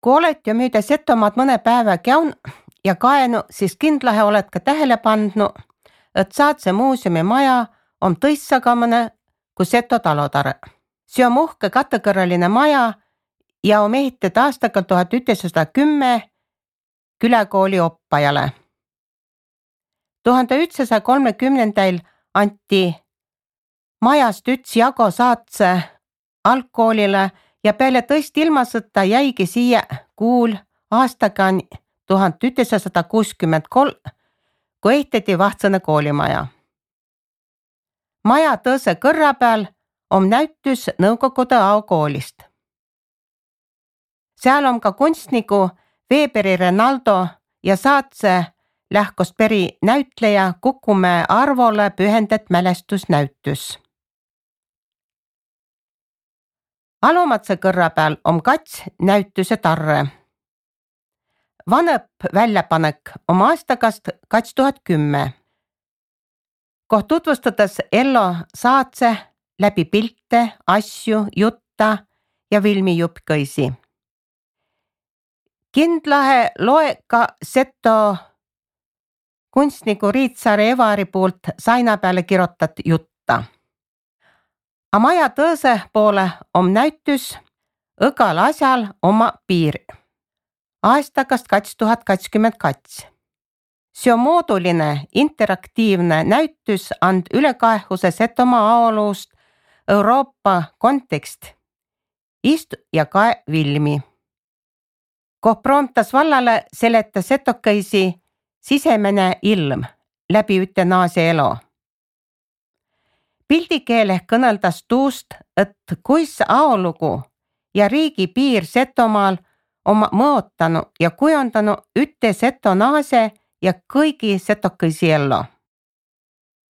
Kui olet jo müüdä Setomaad mõne päevä käun ja kaenu, siis kindlahe olet ka tähele pandnu, et Saatse muuseumi maja on tõissagamane kui Seto talotare. See on uhke katekõrraline maja ja on ehitud aastaga 1910 küläkooli oppajale. 1930 anti majast üks jago Saatse algkoolile ja peale tõesti ilmasõtta jäigi siia kuul aastaga 1963, kui ehitati Vahtsõne koolimaja. Maja tõõse kõrra peal on näütys Nõukogude aokoolist. Seal on ka kunstniku Weberi Renaldo ja Saatse lähkosperi näütleja Kukumäe Arvole pühendet mälestusnäütys. Alumatse kõrra peal on kats näütuse tarre. Vanõp väljapanek on aastakast 2010. Koh tutvustades Ello Saatse läbi pilte, asju, jutta ja filmijuppkõisi. Kindlahe loe ka Seto kunstniku Riitsaare Evari poolt saina peale kirjutat jutta. A maja tõõse poole on näütys Õgal asjal oma piir. Aastakast 2022. See on mooduline, interaktiivne näütys and ülekaehuse Setomaa aoluust Euroopa kontekst. Istu ja kae filmi. Koh proomtas vallale seleta setokõisi sisemene ilm läbi üte naase elo. Pildikeele kõneldas tuust, et kuis aolugu ja riigi piir Setomaal on mõotanu ja kujundanu üte seto naase ja kõigi setokõisi ello.